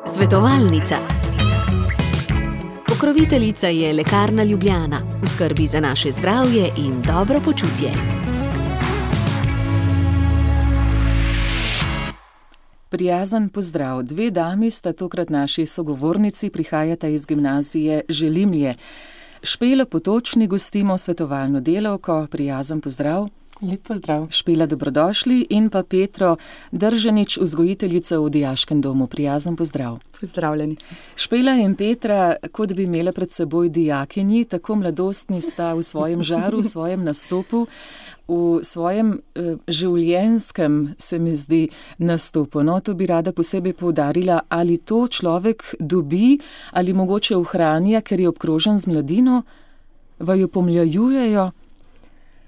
Svetovalnica. Pokroviteljica je Lekarna Ljubljana, v skrbi za naše zdravje in dobro počutje. Prijazen pozdrav. Dve dami sta tokrat naši sogovornici, prihajata iz gimnazije Želimlje. Špelo Potočnik gostimo, svetovalno delavko. Prijazen pozdrav. Lep pozdrav. Špela, dobrodošli. In pa Petro Držanič, vzgojiteljica v dijaškem domu. Prijazen pozdrav. Pozdravljeni. Špela in Petra, kot bi imela pred seboj dijakinji, tako mladostni sta v svojem žaru, v svojem nastopu, v svojem življenjskem, se mi zdi, nastopu. No, to bi rada posebej poudarila, ali to človek dobi ali mogoče ohranja, ker je obkrožen z mladino, vaju pomlajujejo.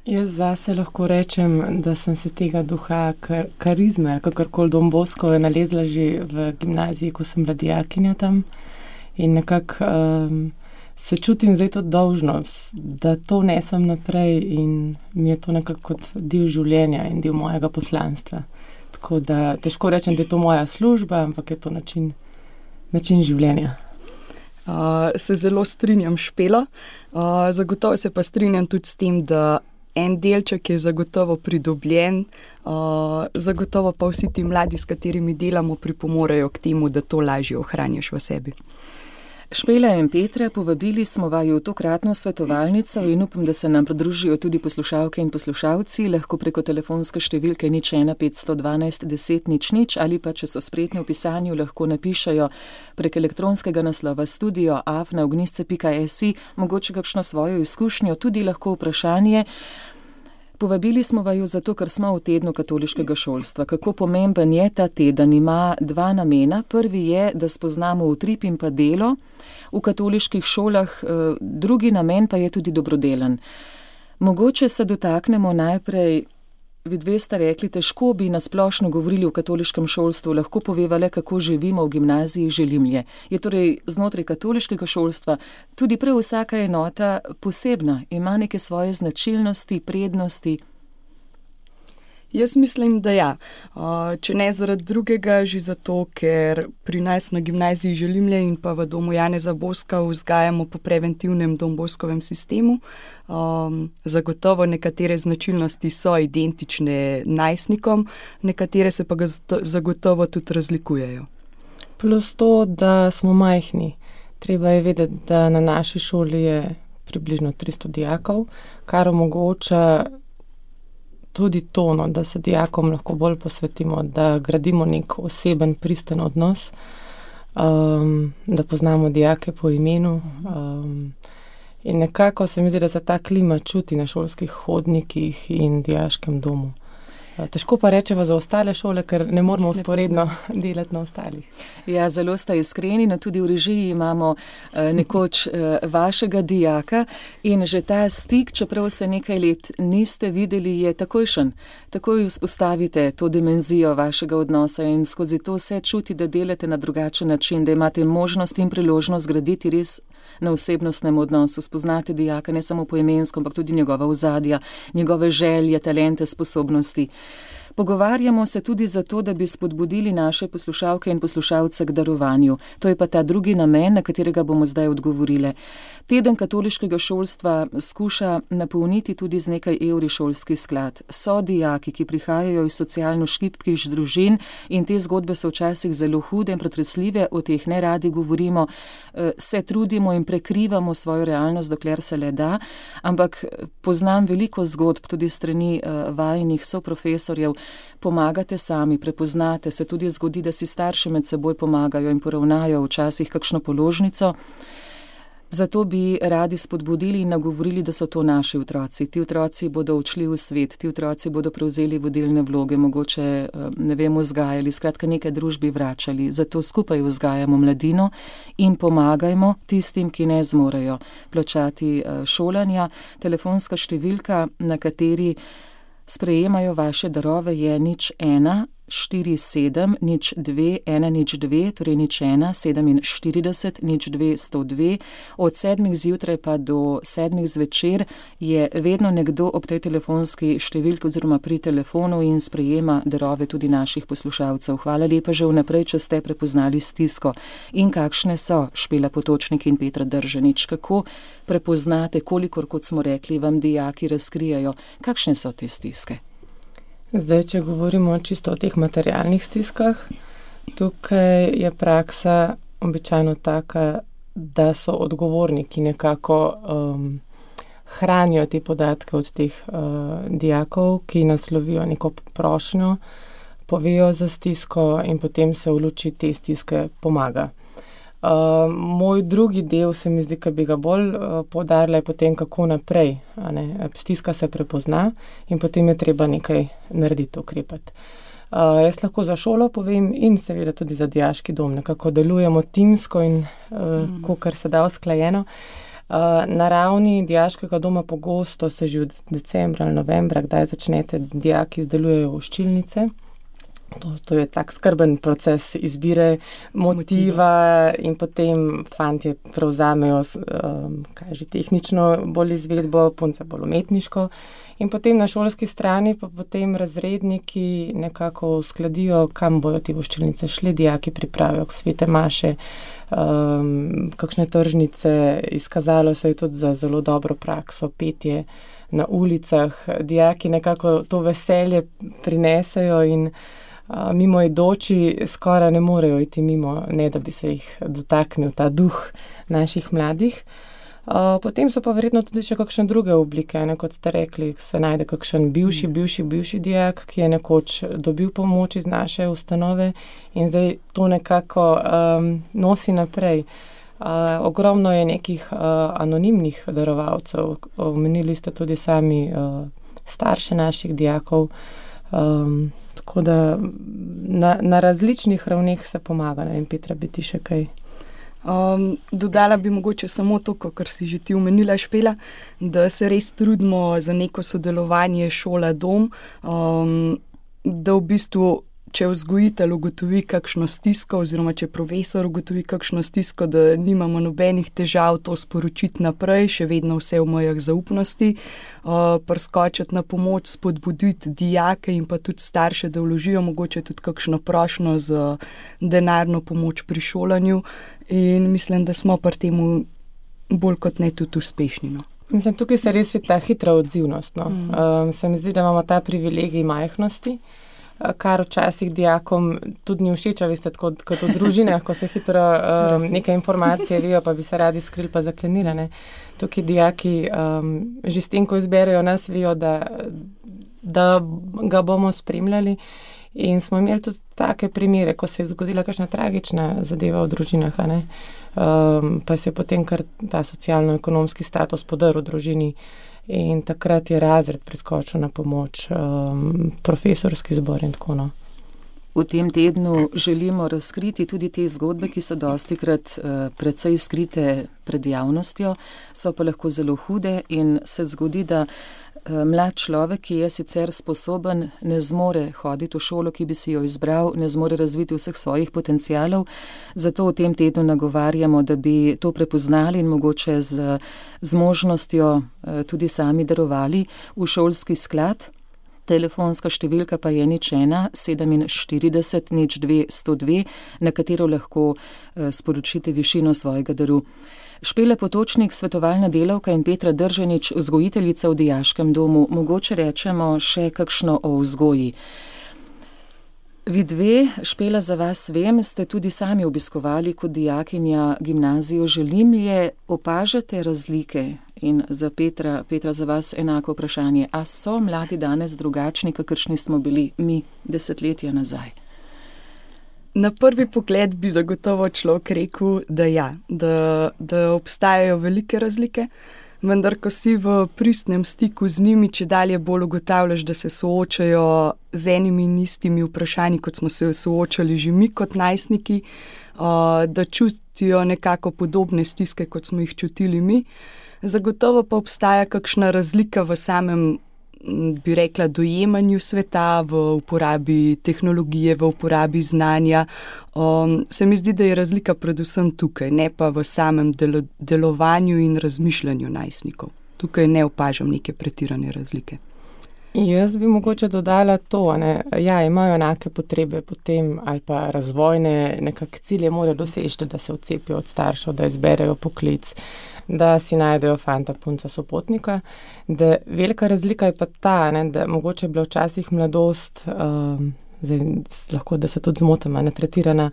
Jaz zase lahko rečem, da sem se tega duha karizme, kakorkoli Don Bosco, nalezla že v gimnaziji, ko sem bila dijakinja tam. In nekako se čutim zdaj to dolžnost, da to nesem naprej in mi je to nekako kot del življenja in del mojega poslanstva. Tako da težko rečem, da je to moja služba, ampak je to način življenja. Se zelo strinjam, Špela. Zagotovo se pa strinjam tudi s tem, da en delček je zagotovo pridobljen, zagotovo pa vsi ti mladi, s katerimi delamo, pripomorejo k temu, da to lažje ohranjaš v sebi. Špela in Petra, povabili smo vaju v tokratno svetovalnico in upam, da se nam pridružijo tudi poslušalke in poslušalci, lahko preko telefonske številke 01 512 10 00 ali pa, če so spretni v pisanju, lahko napišajo prek elektronskega naslova studio@ognisce.si, mogoče kakšno svojo izkušnjo, tudi lahko vprašanje. Povabili smo vaju zato, ker smo v tednu katoliškega šolstva. Kako pomemben je ta teden? Ima dva namena. Prvi je, da spoznamo utrip in pa delo v katoliških šolah, drugi namen pa je tudi dobrodelen. Mogoče se dotaknemo najprej, vi dve sta rekli, težko bi nasplošno govorili o katoliškem šolstvu, lahko poveva le, kako živimo v gimnaziji Želimlje. Je torej znotraj katoliškega šolstva tudi prav vsaka enota posebna, ima neke svoje značilnosti, prednosti? Jaz mislim, da ja. Če ne zaradi drugega, že zato, ker pri nas na gimnaziji Želimlje in pa v domu Janeza Boska vzgajamo po preventivnem Don Boskovem sistemu. Zagotovo nekatere značilnosti so identične najstnikom, nekatere se pa zagotovo tudi razlikujejo. Plus to, da smo majhni. Treba je vedeti, da na naši šoli je približno 300 dijakov, kar omogoča tudi to, da se dijakom lahko bolj posvetimo, da gradimo nek oseben, pristen odnos, da poznamo dijake po imenu. In nekako se mi zdi, da se ta klima čuti na šolskih hodnikih in dijaškem domu. Težko pa rečeva za ostale šole, ker ne moramo vzporedno delati na ostalih. Ja, zelo sta iskreni, no tudi v režiji imamo nekoč vašega dijaka in že ta stik, čeprav se nekaj let niste videli, je takojšen. Takoj vzpostavite to dimenzijo vašega odnosa in skozi to se čuti, da delate na drugačen način, da imate možnost in priložnost graditi res na osebnostnem odnosu, spoznate dijaka ne samo poimensko, ampak tudi njegova ozadja, njegove želje, talente, sposobnosti. Pogovarjamo se tudi zato, da bi spodbudili naše poslušalke in poslušalce k darovanju. To je pa ta drugi namen, na katerega bomo zdaj odgovorile. Teden katoliškega šolstva skuša napolniti tudi z nekaj evri šolski sklad. So dijaki, ki prihajajo iz socialno šibkih družin in te zgodbe so včasih zelo hude in pretresljive, o teh ne radi govorimo, se trudimo in prekrivamo svojo realnost, dokler se le da, ampak poznam veliko zgodb tudi strani vajinih soprofesorjev. Pomagate sami, prepoznate, se tudi zgodi, da si starši med seboj pomagajo in poravnajo včasih kakšno položnico. Zato bi radi spodbudili in nagovorili, da so to naši otroci. Ti otroci bodo odšli v svet, ti otroci bodo prevzeli vodilne vloge, mogoče, ne vem, vzgajali, skratka nekaj družbi vračali. Zato skupaj vzgajamo mladino in pomagajmo tistim, ki ne zmorejo plačati šolanja. Telefonska številka, na kateri sprejemajo vaše darove, je 01 04702 torej 0174002 od 7 zjutraj pa do 7 zvečer je vedno nekdo ob tej telefonski številki oziroma pri telefonu in sprejema darove tudi naših poslušalcev. Hvala lepa že vnaprej, če ste prepoznali stisko. In kakšne so, Špela Potočnik in Petra Držanič, kako prepoznate, kolikor, kot smo rekli, vam dijaki razkrijajo, kakšne so te stiske? Zdaj, če govorimo čisto o teh materialnih stiskah, tukaj je praksa običajno taka, da so odgovorni, ki nekako hranijo te podatke od teh dijakov, ki naslovijo neko prošnjo, povejo za stisko in potem se v luči te stiske pomaga. Moj drugi del se mi zdi, ki bi ga bolj poudarila, je potem kako naprej. Stiska se prepozna in potem je treba nekaj narediti, ukrepati. Jaz lahko za šolo povem in seveda tudi za dijaški dom. Nekako delujemo timsko in kakor se da usklajeno. Na ravni dijaškega doma pogosto se že od decembra ali novembra, kdaj začnete, dijaki izdelujejo voščilnice. To je tak skrben proces izbire motiva in potem fantje prevzamejo tehnično bolj izvedbo, punce bolj umetniško. In potem na šolski strani pa potem razredniki nekako uskladijo, kam bojo te voščilnice šli, dijaki pripravijo svete maše, kakšne tržnice, izkazalo se je tudi za zelo dobro prakso, petje na ulicah. Dijaki nekako to veselje prinesejo in mimoidoči skoraj ne morejo iti mimo, ne da bi se jih dotaknil ta duh naših mladih. Potem so pa verjetno tudi še kakšne druge oblike, kot ste rekli, se najde kakšen bivši dijak, ki je nekoč dobil pomoč iz naše ustanove in zdaj to nekako nosi naprej. Ogromno je nekih anonimnih darovalcev, omenili ste tudi sami starše naših dijakov, tako da na različnih ravneh se pomaga. In Petra, bi ti še kaj? Dodala bi mogoče samo to, kar si že ti omenila, Špela, da se res trudimo za neko sodelovanje šola-dom, da v bistvu, če vzgojitelj ugotovi kakšno stisko oziroma če profesor ugotovi kakšno stisko, da nimamo nobenih težav to sporočiti naprej, še vedno vse v mejah zaupnosti, priskočiti na pomoč, spodbuditi dijake in pa tudi starše, da vložijo mogoče tudi kakšno prošnjo za denarno pomoč pri šolanju in mislim, da smo pri temu bolj kot ne tudi uspešni. Mislim, tukaj se res vidi ta hitra odzivnost. Se mi zdi, da imamo ta privilegij majhnosti, kar včasih dijakom tudi ni všeč, veste, kot v družinah, ko se hitro neke informacije vejo, pa bi se radi skrili pa zaklenili. Tukaj dijaki že s tem, ko izberejo nas, vejo, da ga bomo spremljali. In smo imeli tudi take primere, ko se je zgodila kakšna tragična zadeva v družinah, pa se je potem kar ta socialno-ekonomski status podrl v družini. In takrat je razred priskočil na pomoč, profesorski zbor in tako naprej. V tem tednu želimo razkriti tudi te zgodbe, ki so dostikrat precej skrite pred javnostjo, so pa lahko zelo hude in se zgodi, da mlad človek, ki je sicer sposoben, ne zmore hoditi v šolo, ki bi si jo izbral, ne zmore razviti vseh svojih potencialov. Zato v tem tednu nagovarjamo, da bi to prepoznali in mogoče z možnostjo tudi sami darovali v šolski sklad. Telefonska številka pa je 0474002, na katero lahko sporočite višino svojega daru. Špela Potočnik, svetovalna delavka, in Petra Držanič, vzgojiteljica v dijaškem domu. Mogoče rečemo še kakšno o vzgoji. Vi dve, Špela, za vas vem, ste tudi sami obiskovali kot dijakinja gimnazijo Želimlje. Opažate razlike? In za Petra, za vas enako vprašanje. A so mladi danes drugačni, kakršni smo bili mi desetletja nazaj? Na prvi pogled bi zagotovo človek rekel, da ja, da obstajajo velike razlike, vendar ko si v pristnem stiku z njimi, če dalje bolj ugotavljaš, da se soočajo z enimi in istimi vprašanji, kot smo se soočali že mi kot najstniki, da čutijo nekako podobne stiske, kot smo jih čutili mi. Zagotovo pa obstaja kakšna razlika v samem bi rekla, dojemanju sveta, v uporabi tehnologije, v uporabi znanja. Se mi zdi, da je razlika predvsem tukaj, ne pa v samem delovanju in razmišljanju najstnikov. Tukaj ne opažam neke pretirane razlike. Jaz bi mogoče dodala to, ne? Ja, imajo enake potrebe potem ali pa razvojne nekak cilje morajo doseči, da se odcepijo od staršev, da izberejo poklic, da si najdejo fanta, punca, sopotnika. Da velika razlika je pa ta, ne, da mogoče je bila včasih mladost, zdaj lahko, da se tudi zmotim, tretirana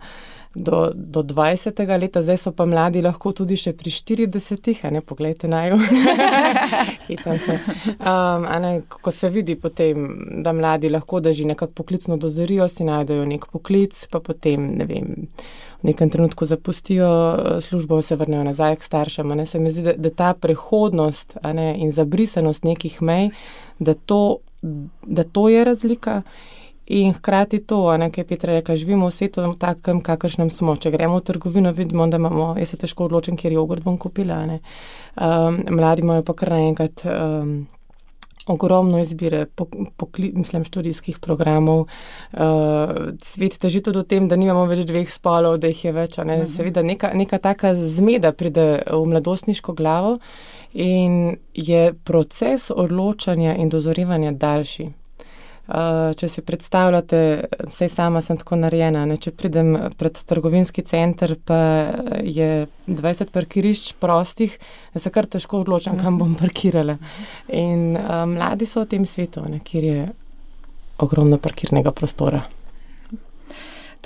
do 20. leta, zdaj so pa mladi lahko tudi še pri 40, ne, poglejte naju. Hecam se. Ko se vidi potem, da mladi lahko, da že nekako poklicno dozorijo, si najdejo nek poklic, pa potem, ne vem, v nekem trenutku zapustijo službo, se vrnejo nazaj k staršem. Se mi zdi, da ta prehodnost in zabrisanost nekih mej, da to je razlika. In hkrati to, kaj je Petra rekla, živimo v svetu takem, kakršnem smo. Če gremo v trgovino, vidimo, da imamo, jaz se težko odločim, kjer jogurt bom kupila. Mladi imajo pa kar naenkrat ogromno izbire, študijskih programov. Svet teži tudi v tem, da nimamo več dveh spolov, da jih je več. Seveda neka taka zmeda pride v mladostniško glavo in je proces odločanja in dozorevanja daljši. Če si predstavljate, saj sama sem tako narejena, če pridem pred trgovinski center, pa je 20 parkirišč prostih, da se kar težko odločam, kam bom parkirala. In mladi so v tem svetu, kjer je ogromno parkirnega prostora.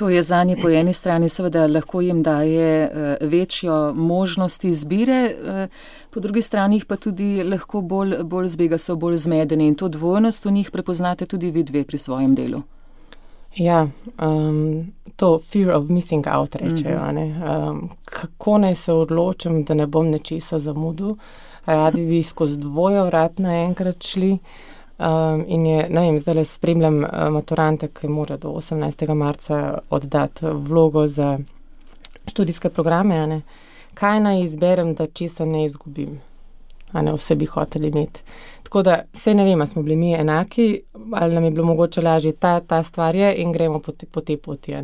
To je zanje po eni strani seveda lahko jim daje večjo možnost izbire, po drugi strani pa tudi lahko bolj zbega, so bolj zmedeni in to dvojnost v njih prepoznate tudi vi dve pri svojem delu. Ja, to fear of missing out rečejo. Kako naj se odločim, da ne bom nečesa zamudil, radi bi skozi dvoje vrat naenkrat šli. In je, ne vem, zdaj spremljam maturante, ki mora do 18. marca oddati vlogo za študijske programe. Kaj naj izberem, da česa ne izgubim? Vse bi hoteli imeti. Tako da, saj ne vem, smo bili mi enaki, ali nam je bilo mogoče lažje ta stvar je in gremo po tej poti.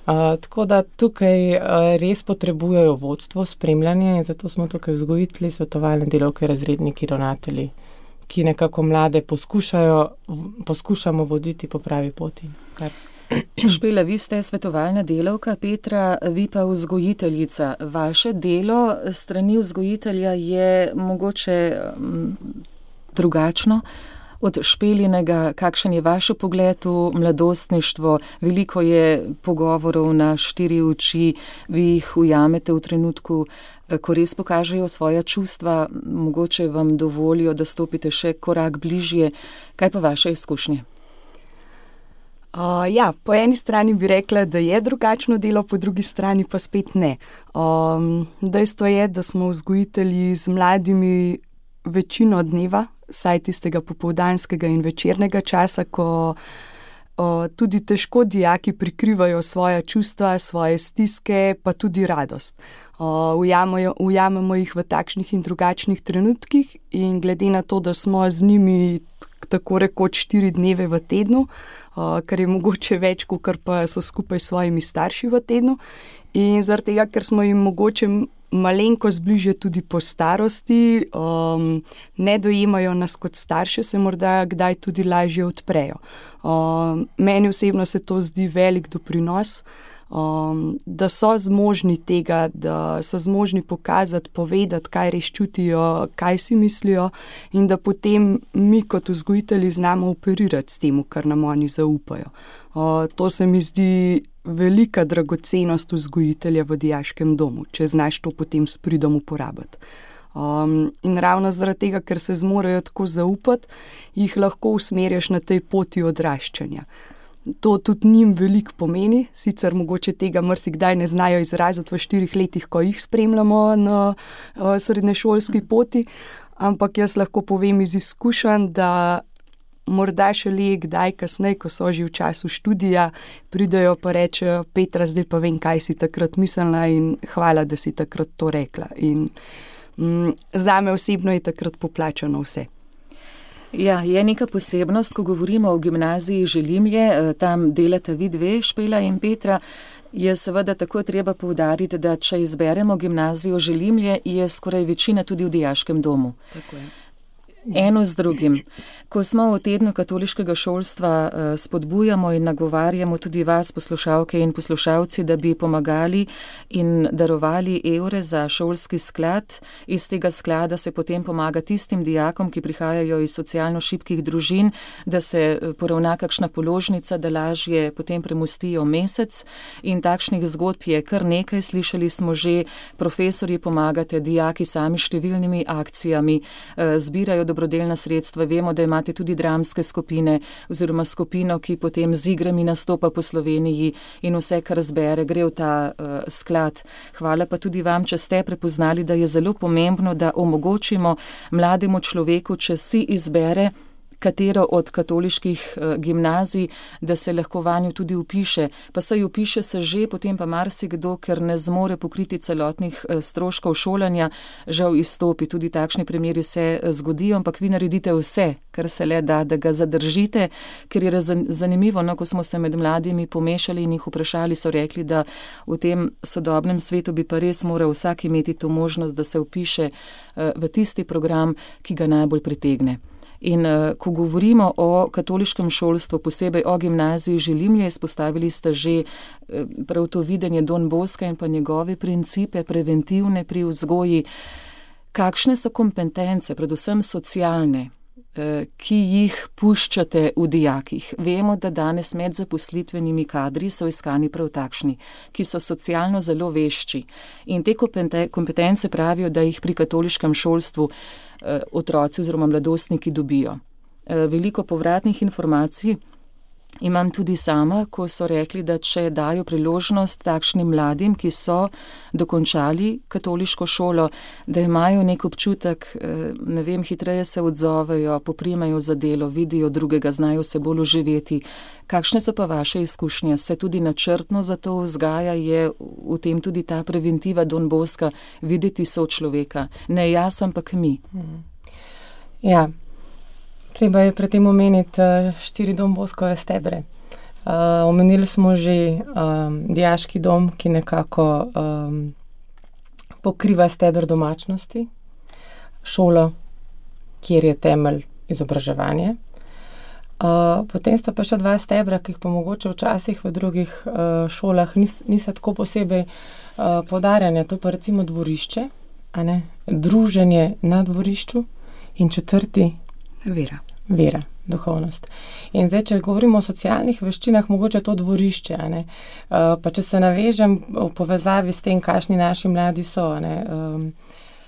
Tako da tukaj res potrebujejo vodstvo, spremljanje in zato smo tukaj vzgojitelji, svetovalne delavke, razredniki, ravnatelji, ki nekako mlade poskušamo voditi po pravi poti. Špela, vi ste svetovalna delavka, Petra, vi pa vzgojiteljica. Vaše delo strani vzgojitelja je mogoče drugačno od Špelinega. Kakšen je vaš pogled v mladostništvo? Veliko je pogovorov na štiri oči, vi jih ujamete v trenutku, ko res pokažejo svoja čustva, mogoče vam dovolijo, da stopite še korak bližje. Kaj pa vaše izkušnje? Po eni strani bi rekla, da je drugačno delo, po drugi strani pa spet ne. Dejstvo je, da smo vzgojitelji z mladimi večino dneva, saj tistega popoldanskega in večernega časa, ko tudi težko dijaki prikrivajo svoja čustva, svoje stiske, pa tudi radost. Ujamemo jih v takšnih in drugačnih trenutkih in glede na to, da smo z njimi tako rekoč 4 dneve v tednu, kar je mogoče več, kot pa so skupaj s svojimi starši v tednu. In zaradi tega, ker smo jim mogoče malenkost bližje tudi po starosti, ne dojemajo nas kot starše, se morda kdaj tudi lažje odprejo. Meni osebno se to zdi velik doprinos, da so zmožni tega, da so zmožni pokazati, povedati, kaj res čutijo, kaj si mislijo in da potem mi kot vzgojitelji znamo operirati s tem, kar nam oni zaupajo. To se mi zdi velika dragocenost vzgojitelja v dijaškem domu, če znaš to potem s pridom uporabiti. In ravno zaradi tega, ker se zmorejo tako zaupati, jih lahko usmerjaš na tej poti odraščanja. To tudi njim veliko pomeni, sicer mogoče tega marsikdaj ne znajo izraziti v 4 letih, ko jih spremljamo na srednješolski poti, ampak jaz lahko povem iz izkušenj, da morda šele kdaj kasneje, ko so že v času študija, pridejo pa rečejo: Petra, zdaj pa vem, kaj si takrat mislila in hvala, da si takrat to rekla. In zame osebno je takrat poplačano vse. Ja, je neka posebnost, ko govorimo o gimnaziji Želimlje, tam delata vi dve, Špela in Petra. Je seveda tako treba poudariti, da če izberemo gimnazijo Želimlje, je skoraj večina tudi v dijaškem domu. Tako je. Eno z drugim. Ko smo v tednu katoliškega šolstva, spodbujamo in nagovarjamo tudi vas, poslušalke in poslušalci, da bi pomagali in darovali evre za šolski sklad. Iz tega sklada se potem pomaga tistim dijakom, ki prihajajo iz socialno šibkih družin, da se poravna kakšna položnica, da lažje potem premostijo mesec. In takšnih zgodb je kar nekaj. Slišali smo že, profesorji pomagate, dijaki sami številnimi akcijami zbirajo dobrodelna sredstva. Vemo, da imate tudi dramske skupine oziroma skupino, ki potem z igrami nastopa po Sloveniji in vse, kar zbere, gre v ta sklad. Hvala pa tudi vam, če ste prepoznali, da je zelo pomembno, da omogočimo mlademu človeku, če si izbere katero od katoliških gimnazij, da se lahko vanjo tudi vpiše. Pa saj vpiše se že, potem pa marsikdo, ker ne zmore pokriti celotnih stroškov šolanja, žal izstopi. Tudi takšni primeri se zgodijo, ampak vi naredite vse, kar se le da, da ga zadržite, ker je zanimivo, no, ko smo se med mladimi pomešali in jih vprašali, so rekli, da v tem sodobnem svetu bi pa res moral vsak imeti to možnost, da se vpiše v tisti program, ki ga najbolj pritegne. In ko govorimo o katoliškem šolstvu, posebej o gimnaziji Želimlje, izpostavili ste že prav to videnje Don Boska in pa njegove principe preventivne pri vzgoji. Kakšne so kompetence, predvsem socialne, ki jih puščate v dijakih? Vemo, da danes med zaposlitvenimi kadri so iskani prav takšni, ki so socialno zelo vešči. In te kompetence pravijo, da jih pri katoliškem šolstvu otroci oziroma mladostniki dobijo. Veliko povratnih informacij imam tudi sama, ko so rekli, da če dajo priložnost takšnim mladim, ki so dokončali katoliško šolo, da imajo nek občutek, ne vem, hitreje se odzovejo, poprimejo za delo, vidijo drugega, znajo se bolj oživeti. Kakšne so pa vaše izkušnje? Se tudi načrtno za to vzgaja, je v tem tudi ta preventiva Don Boska, videti sočloveka, ne jaz, ampak mi? Ja. Treba je pri tem omeniti 4 Don Boskove stebre. Omenili smo že dijaški dom, ki nekako pokriva steber domačnosti, šolo, kjer je temelj izobraževanje. Potem sta pa še 2 stebra, ki jih pa mogoče včasih v drugih šolah niso tako posebej poudarjanja. To pa recimo dvorišče, a ne? Druženje na dvorišču in 4. Vera, duhovnost. In zdaj, če govorimo o socialnih veščinah, mogoče to dvorišče, a ne? Pa če se navežem v povezavi s tem, kakšni naši mladi so, a ne?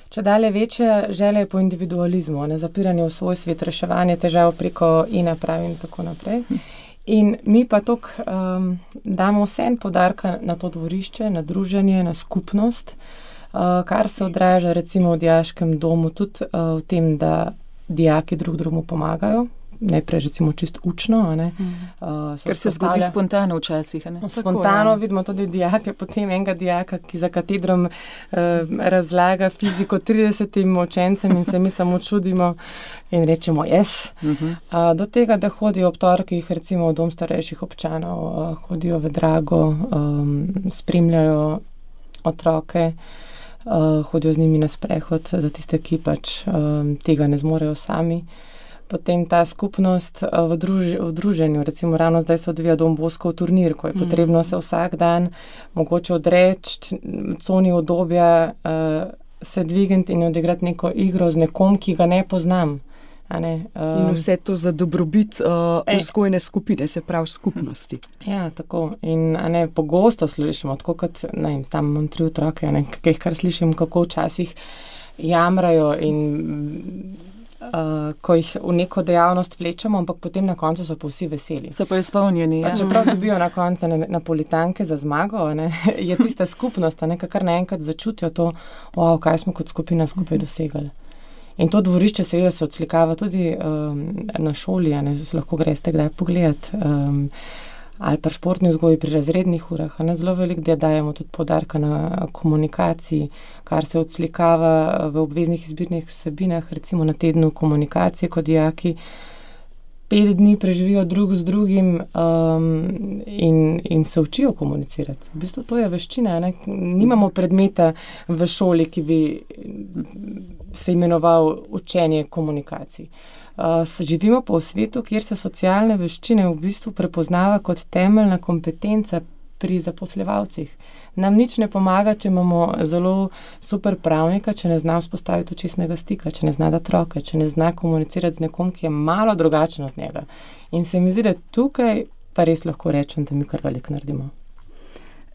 Če dalje večja želja po individualizmu, ne? Zapiranje v svoj svet, reševanje težav preko e-naprav in tako naprej. In mi pa toliko damo vsem poudarka na to dvorišče, na druženje, na skupnost, kar se odraža recimo v dijaškem domu tudi v tem, da dijaki drug drugemu pomagajo, najprej recimo čisto učno, a ne. Ker se zgodi spontano včasih, a ne. Spontano vidimo tudi dijake, potem enega dijaka, ki za katedrom razlaga fiziko 30 učencem in se mi samo čudimo in rečemo yes. Do tega, da hodijo ob torkih recimo v dom starejših občanov, hodijo v Drago, spremljajo otroke, hodijo z njimi na sprehod za tiste, ki pač tega ne zmorejo sami. Potem ta skupnost v druženju, recimo ravno zdaj se odvija Don Boskov turnir, ko je potrebno se vsak dan mogoče odreči coni udobja, se dvigniti in odigrati neko igro z nekom, ki ga ne poznam. In vse to za dobrobit vzgojne skupine, se pravi skupnosti. Ja, tako. In pogosto slišimo, tako kot, sam imam 3 otroke, kar slišim, kako včasih jamrajo in ko jih v neko dejavnost vlečemo, ampak potem na koncu so pa vsi veseli. So pa izpolnjeni, ja. Čeprav dobijo na koncu napolitanke za zmago, je tista skupnost, kar naenkrat začutijo to, kaj smo kot skupina skupaj dosegali. In to dvorišče seveda se odslikava tudi na šoli, se lahko greste kdaj pogledati. ali pa športni vzgoji pri razrednih urah. Zelo veliko dajemo tudi poudarka na komunikaciji, kar se odslikava v obveznih izbirnih vsebinah, recimo na tednu komunikacije, ko dijaki 5 dni preživijo drug z drugim in se učijo komunicirati. V bistvu to je veščina. Nimamo predmeta v šoli, ki bi se imenoval učenje komunikacij. Živimo pa v svetu, kjer se socialne veščine v bistvu prepoznava kot temeljna kompetenca pri zaposlevalcih. Nam nič ne pomaga, če imamo zelo super pravnika, če ne zna vzpostaviti očesnega stika, če ne zna dati roke, če ne zna komunicirati z nekom, ki je malo drugačen od njega. In se mi zdi, da tukaj pa res lahko rečem, da mi kar veliko naredimo.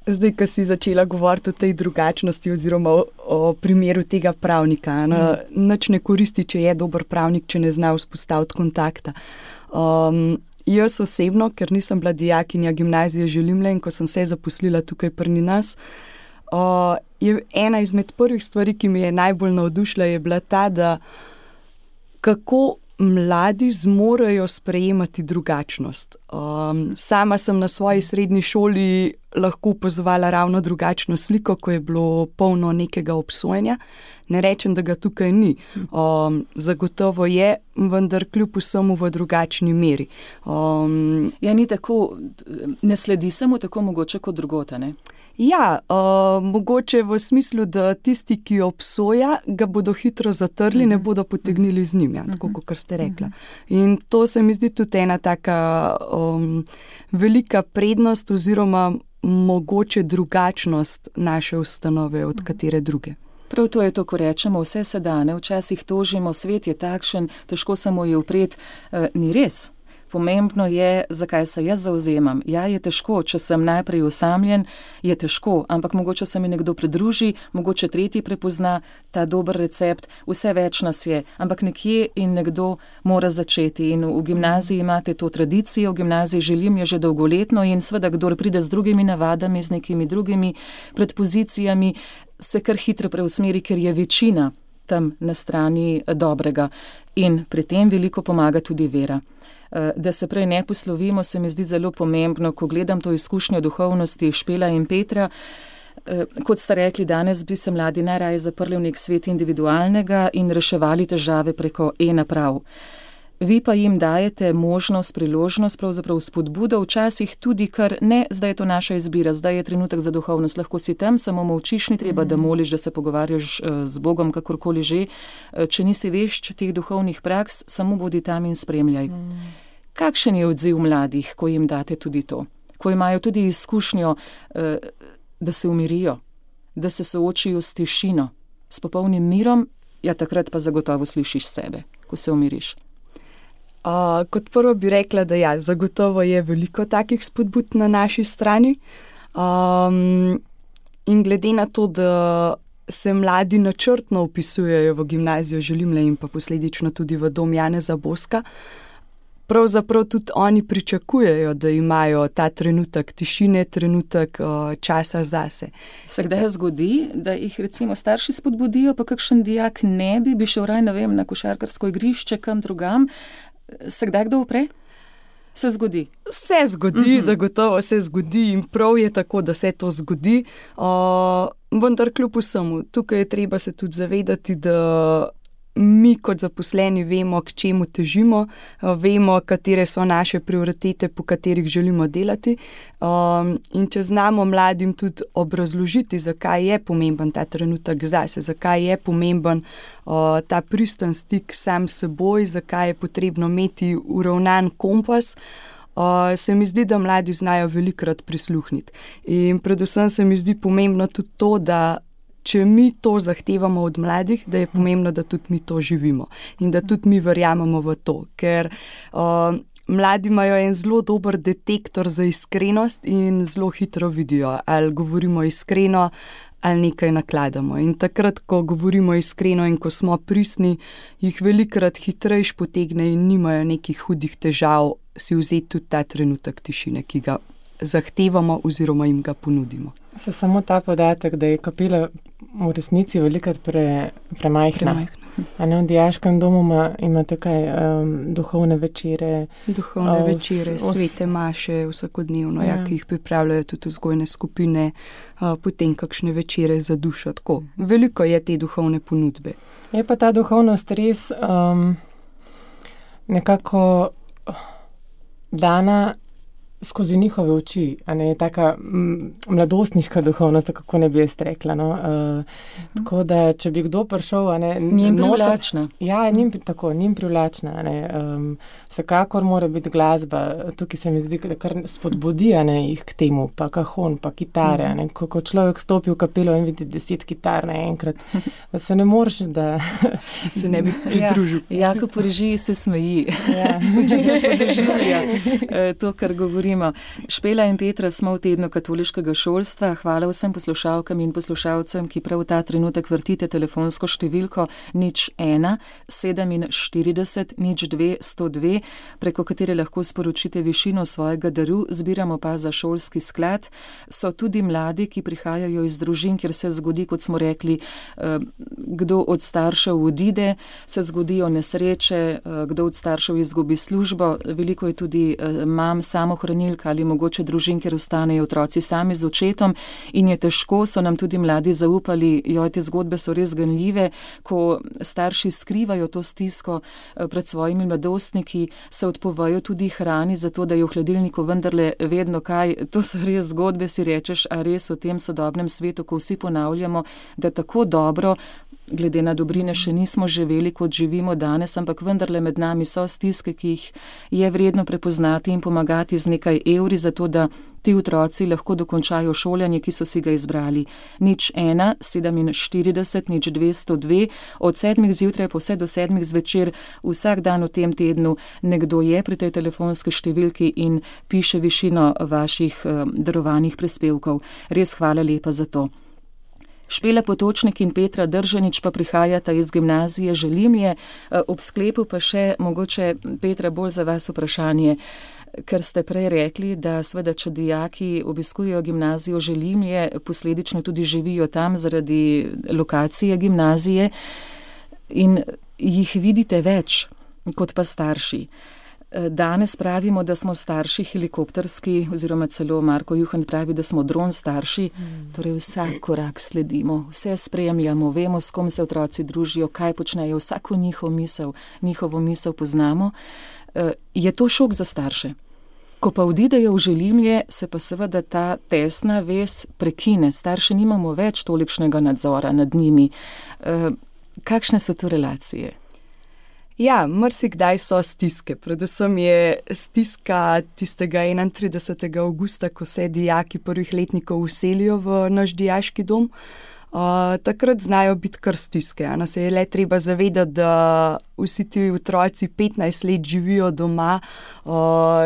Zdaj, ko si začela govoriti o tej drugačnosti oziroma o primeru tega pravnika, nič ne koristi, če je dober pravnik, če ne zna vzpostaviti kontakta. Jaz osebno, ker nisem bila dijakinja gimnazije Želimlje in ko sem se zaposlila tukaj pri nas, je ena izmed prvih stvari, ki mi je najbolj navdušila, je bila ta, da kako mladi zmorejo sprejemati drugačnost. Sama sem na svoji srednji šoli lahko opazovala ravno drugačno sliko, ko je bilo polno nekega obsojenja. Ne rečem, da ga tukaj ni. Zagotovo je, vendar kljub vsemu v drugačni meri. Ja, ni tako, ne sledi samo tako mogoče kot drugota, ne? Ja, mogoče v smislu, da tisti, ki obsoja, ga bodo hitro zatrli, ne bodo potegnili z njim, tako kot ste rekla. In to se mi zdi tudi ena taka velika prednost oziroma mogoče drugačnost naše ustanove od katere druge. Prav to je to, ko rečemo, vse se da, ne? Včasih tožimo, svet je takšen, težko se mu je upreti. Ni res. Pomembno je, zakaj se jaz zauzemam. Ja, je težko, če sem najprej osamljen, je težko, ampak mogoče se mi nekdo pridruži, mogoče tretji prepozna ta dober recept, vse več nas je, ampak nekje in nekdo mora začeti. In v gimnaziji imate to tradicijo, v gimnaziji Želimlje že dolgoletno in seveda, kdor pride z drugimi navadami, z nekimi drugimi predpozicijami, se kar hitro preusmeri, ker je večina tam na strani dobrega. In pri tem veliko pomaga tudi vera. Da se prej ne poslovimo, se mi zdi zelo pomembno, ko gledam to izkušnjo duhovnosti Špela in Petra. Kot ste rekli, danes bi se mladi najraje zaprli v nek svet individualnega in reševali težave preko e-naprav. Vi pa jim dajete možnost, priložnost, pravzaprav spodbudo, včasih tudi, kar ne, zdaj je to naša izbira, zdaj je trenutek za duhovnost, lahko si tam, samo molčiš, ni treba, da moliš, da se pogovarjaš z Bogom, kakorkoli že. Če nisi vešč teh duhovnih praks, samo bodi tam in spremljaj. Kakšen je odziv mladih, ko jim date tudi to? Ko imajo tudi izkušnjo, da se umirijo, da se soočijo s tišino, s popolnim mirom, ja, takrat pa zagotovo slišiš sebe, ko se umiriš. Kot prvo bi rekla, da ja, zagotovo je veliko takih spodbud na naši strani. In glede na to, da se mladi načrtno vpisujejo v gimnazijo Želimlje in pa posledično tudi v dom Janeza Boska, pravzaprav tudi oni pričakujejo, da imajo ta trenutek tišine, trenutek časa zase. Se kdaj zgodi, da jih recimo starši spodbudijo, pa kakšen dijak ne bi šel raj, ne vem, na košarkarsko igrišče, kam drugam? Se kdaj kdo upre? Se zgodi? Se zgodi, zagotovo se zgodi in prav je tako, da se to zgodi. Vendar kljub vsemu, tukaj je treba se tudi zavedati, da mi kot zaposleni vemo, k čemu težimo, vemo, katere so naše prioritete, po katerih želimo delati. In če znamo mladim tudi obrazložiti, zakaj je pomemben ta trenutek zase, zakaj je pomemben ta pristen stik sam s seboj, zakaj je potrebno imeti uravnan kompas, se mi zdi, da mladi znajo velikokrat prisluhniti. In predvsem se mi zdi pomembno tudi to, da če mi to zahtevamo od mladih, da je pomembno, da tudi mi to živimo in da tudi mi verjamemo v to, ker mladi imajo en zelo dober detektor za iskrenost in zelo hitro vidijo, ali govorimo iskreno, ali nekaj nakladamo. In takrat, ko govorimo iskreno in ko smo pristni, jih velikokrat hitrejš potegne in nimajo nekih hudih težav si vzeti tudi ta trenutek tišine, ki ga zahtevamo oziroma jim ga ponudimo. Se samo ta podatek, da je kapela v resnici velikokrat premajhna. A ne, v dijaškem domu imate kaj, duhovne večere? Duhovne večere, svete maše vsakodnevno, ki jih pripravljajo tudi vzgojne skupine, potem kakšne večere za dušo, tako. Veliko je te duhovne ponudbe. Je pa ta duhovnost res nekako dana skozi njihove oči, a ne, taka mladostniška duhovnost, kako ne bi jaz rekla, no. Tako da, če bi kdo prišel, a ne. Njim privlačna. Ja, njim privlačna, a ne. Vsekakor mora biti glasba, tukaj se mi zdi, da kar spodbudi, a ne, jih k temu, pa kahon, pa kitare, a ne. Ko človek stopi v kapelo in vidi 10 kitar naenkrat, se ne moreš, da se ne bi pridružil. Jako po režiji se smeji. Ja. To, kar govori. Špela in Petra smo v tednu katoliškega šolstva. Hvala vsem poslušalkam in poslušalcem, ki prav ta trenutek vrtite telefonsko številko 01 47 02 102, preko katere lahko sporočite višino svojega daru. Zbiramo pa za šolski sklad. So tudi mladi, ki prihajajo iz družin, kjer se zgodi, kot smo rekli, kdo od staršev odide, se zgodijo nesreče, kdo od staršev izgubi službo. Veliko je tudi mam samohranilk ali mogoče družin, kjer ostanejo otroci sami z očetom in je težko, so nam tudi mladi zaupali, te zgodbe so res ganljive, ko starši skrivajo to stisko pred svojimi mladostniki, se odpovejo tudi hrani, zato da je v hladilniku vendarle vedno kaj. To so res zgodbe, si rečeš, a res v tem sodobnem svetu, ko vsi ponavljamo, da tako dobro, glede na dobrine še nismo živeli, kot živimo danes, ampak vendarle med nami so stiske, ki jih je vredno prepoznati in pomagati z nekaj evri, zato da ti otroci lahko dokončajo šolanje, ki so si ga izbrali. 01 47 02 102, od 7 zjutraj pa vse do 7 zvečer, vsak dan v tem tednu nekdo je pri tej telefonski številki in piše višino vaših darovanih prispevkov. Res hvala lepa za to. Špela Potočnik in Petra Držanič pa prihajata iz gimnazije Želimlje. Ob sklepu pa še, mogoče Petra, bolj za vas vprašanje, ker ste prej rekli, da seveda, če dijaki obiskujejo gimnazijo Želimlje, posledično tudi živijo tam zaradi lokacije gimnazije in jih vidite več kot pa starši. Danes pravimo, da smo starši helikopterski, oziroma celo Marko Juhant pravi, da smo dron starši, torej vsak korak sledimo, vse spremljamo, vemo, s kom se otroci družijo, kaj počnejo, vsako njihovo misel poznamo. Je to šok za starše? Ko pa odidejo v Želimlje, se pa seveda ta tesna vez prekine, starši nimamo več tolikšnega nadzora nad njimi. Kakšne so to relacije? Ja, marsikdaj so stiske. Predvsem je stiska tistega 31. avgusta, ko se dijaki prvih letnikov vselijo v naš dijaški dom. Takrat znajo biti kar stiske. Nas je le treba zavedati, da vsi ti otroci 15 let živijo doma,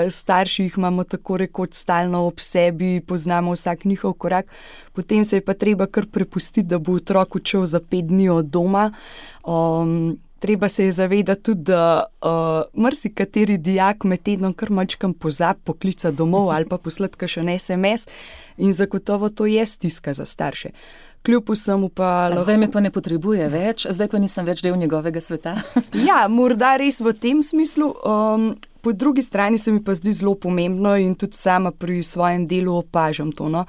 starši jih imamo tako rekoč stalno ob sebi, poznamo vsak njihov korak, potem se je pa treba kar prepustiti, da bo otrok odšel za 5 dni od doma. Treba se je zavedati tudi, da marsikateri dijak med tednom kar mačkam pozabi poklicati domov ali pa poslati kakšen SMS in zagotovo to je stiska za starše. Kljub vsemu pa... Zdaj me pa ne potrebuje več, zdaj pa nisem več del njegovega sveta. Ja, morda res v tem smislu. Po drugi strani se mi pa zdi zelo pomembno in tudi sama pri svojem delu opažam to, no,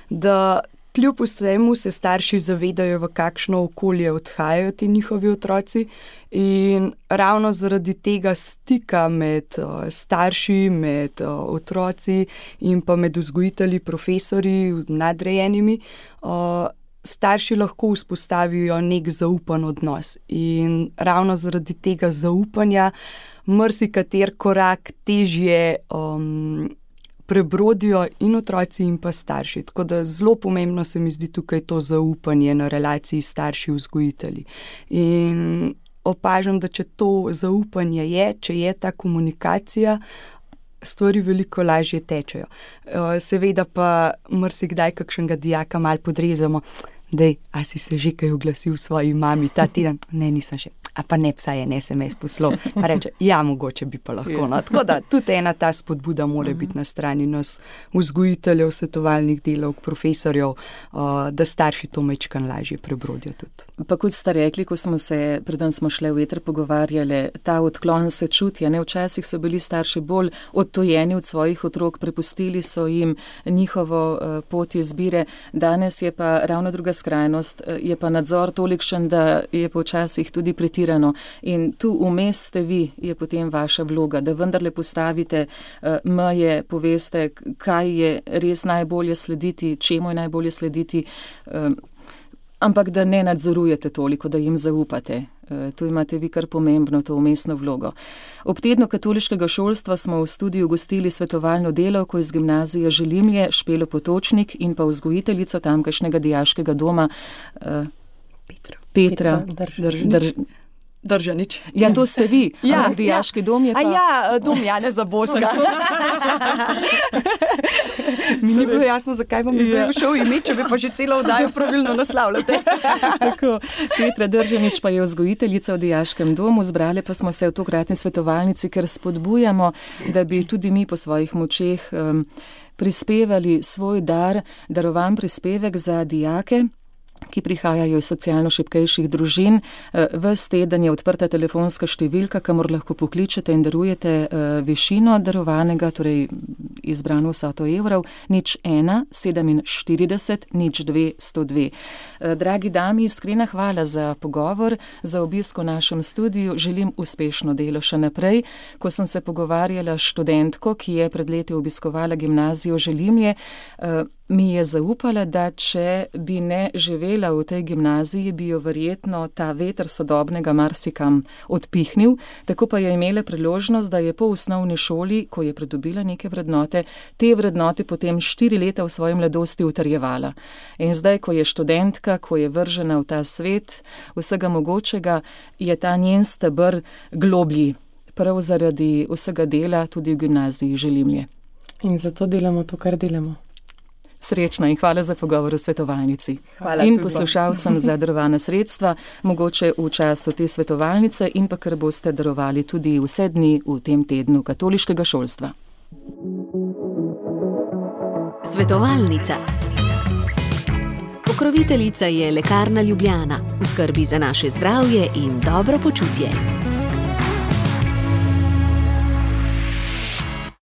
da kljub vsemu se starši zavedajo, v kakšno okolje odhajajo ti njihovi otroci in ravno zaradi tega stika med starši, med otroci in pa med vzgojitelji, profesorji, nadrejenimi, starši lahko vzpostavijo nek zaupan odnos in ravno zaradi tega zaupanja marsikater korak težje prebrodijo in otroci in pa starši. Tako da zelo pomembno se mi zdi tukaj to zaupanje na relaciji starši-vzgojitelji. In opažam, da če to zaupanje je, če je ta komunikacija, stvari veliko lažje tečejo. Seveda pa marsikdaj kakšnega dijaka malo podrezamo. Dej, a si se že kaj oglasil svoji mami ta teden? Ne, nisem še. a pa ne vsaj en SMS poslal, pa reče, ja, mogoče bi pa lahko. No. Tako da tudi ena ta spodbuda mora biti na strani nas vzgojiteljev, svetovalnih delavk, profesorjev, da starši to majčkan lažje prebrodijo tudi. Pa kot ste rekli, ko smo se, preden smo šli v eter pogovarjali, ta odklon se čuti. Včasih so bili starši bolj odtojeni od svojih otrok, prepustili so jim njihovo pot izbire. Danes je pa ravno druga skrajnost, je pa nadzor tolikšen, da je počasih tudi pretirano. In tu vmes ste vi, je potem vaša vloga, da vendarle postavite meje, poveste, kaj je res najbolje slediti, čemu je najbolje slediti, ampak da ne nadzorujete toliko, da jim zaupate. Tu imate vi kar pomembno to vmesno vlogo. Ob tednu katoliškega šolstva smo v studiu gostili svetovalno delavko iz gimnazije Želimlje, Špelo Potočnik in pa vzgojiteljico tamkajšnjega dijaškega doma Petra Držanič. Ja, to ste vi. Ja, dijaški dom je pa... Dom Janeza Boska. Mi ni bilo jasno, zakaj vam je zdaj všel ime, če bi pa že celo oddajo pravilno naslavljate. Tako, Petra Držanič pa je vzgojiteljica v dijaškem domu. Zbrali pa smo se v tokratni svetovalnici, ker spodbujamo, da bi tudi mi po svojih močeh prispevali svoj dar, darovan prispevek za dijake, ki prihajajo iz socialno šibkejših družin. Ves teden je odprta telefonska številka, kamor lahko pokličete in darujete višino darovanega, torej izbrano vsoto evrov, 01 47 02 102. Dragi dami, iskrena hvala za pogovor, za obisk v našem studiu. Želim uspešno delo še naprej. Ko sem se pogovarjala s študentko, ki je pred leti obiskovala gimnazijo Želimlje, mi je zaupala, da če bi ne živela v tej gimnaziji, bi jo verjetno ta veter sodobnega marsikam odpihnil. Tako pa je imela priložnost, da je po osnovni šoli, ko je pridobila neke vrednote, te vrednote potem 4 leta v svoji mladosti utrjevala. In zdaj, ko je študentka, ko je vržena v ta svet vsega mogočega, je ta njen steber globlji, prav zaradi vsega dela tudi v gimnaziji Želimlje. In zato delamo to, kar delamo. Srečno in hvala za pogovor v svetovalnici. Hvala in tudi poslušalcem za darovana sredstva, mogoče v času te svetovalnice in pa kar boste darovali tudi vse dni v tem tednu katoliškega šolstva. Svetovalnica. Pokroviteljica je Lekarna Ljubljana. V skrbi za naše zdravje in dobro počutje.